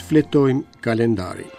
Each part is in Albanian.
Shfletojmë kalendarin.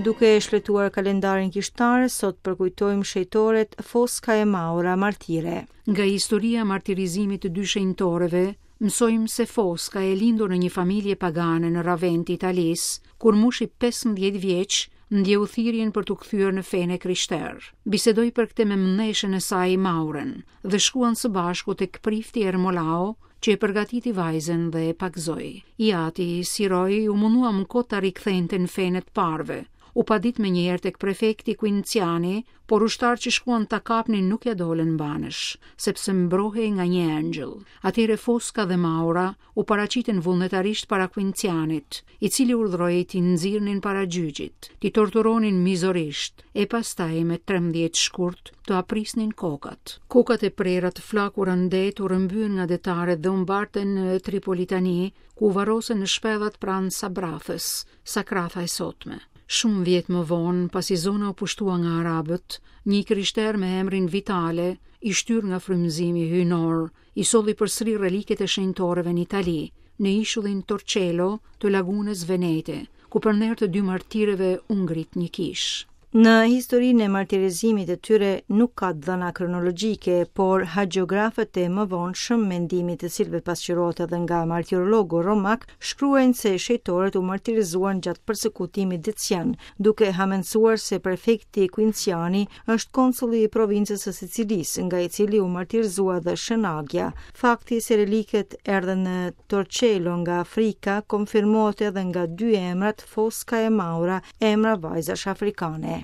Duke shfletuar kalendarin kishtar, sot përkujtojmë shenjtoret Foska e Maura martire. Nga historia e martirizimit të dy shenjtoreve, mësojmë se Foska e lindur në një familje pagane në Ravenë të Italisë, kur mushi 15 vjeç, ndjeu thirrjen për t'u kthyer në fenë e krishterë. Bisedoi për këtë me mneshën e saj Maurën dhe shkuan së bashku tek prifti Ermolao, që e përgatiti vajzën dhe e pagëzoi. I ati, Siroi, u mundua më kot ta rikthente në fenë e të parëve. U padit menjëherë tek prefekti Quinciani, por ushtarët që shkuan ta kapnin nuk ia dolën mbanësh, sepse mbrohej nga një engjëll. Atëherë Foska dhe Maura u paraqitën vullnetarisht para Quincianit, i cili urdhëroi t'i nxirrnin para gjyqit, t'i torturonin mizorisht, e pastaj me 13 shkurt t'ua prisnin kokat. Kokat e prera të flakura në det u rrëmbyen nga detarët dhe u mbartën në Tripolitani, ku u varrosën në shpellat pranë Sabrathës, Sakratha e sotme. Shumë vjet më vonë, pasi zona u pushtua nga arabët, një i krishterë me emrin Vitale, i shtyrë nga frymëzimi hyjnor, i solli përsëri reliket e shenjtoreve në Itali, në ishullin Torcello të lagunës Venete, ku për nder të dy martireve u ngrit një kishë. Në historinë e martirizimit të tyre nuk ka të dhëna kronologjike, por hagiografët e mëvonshëm, mendimi i të cilëve pasqyrohet edhe nga martirologu romak, shkruajnë se shenjtoret u martirizuan gjatë persekutimit Decian, duke hamendësuar se prefekti Quinciani është konsulli i provincës së Sicilisë, nga i cili u martirizua dhe Shën Agia. Fakti se reliket erdhën në Torcello nga Afrika konfirmohet edhe nga dy emrat Foska e Maura, emra vajzash afrikane.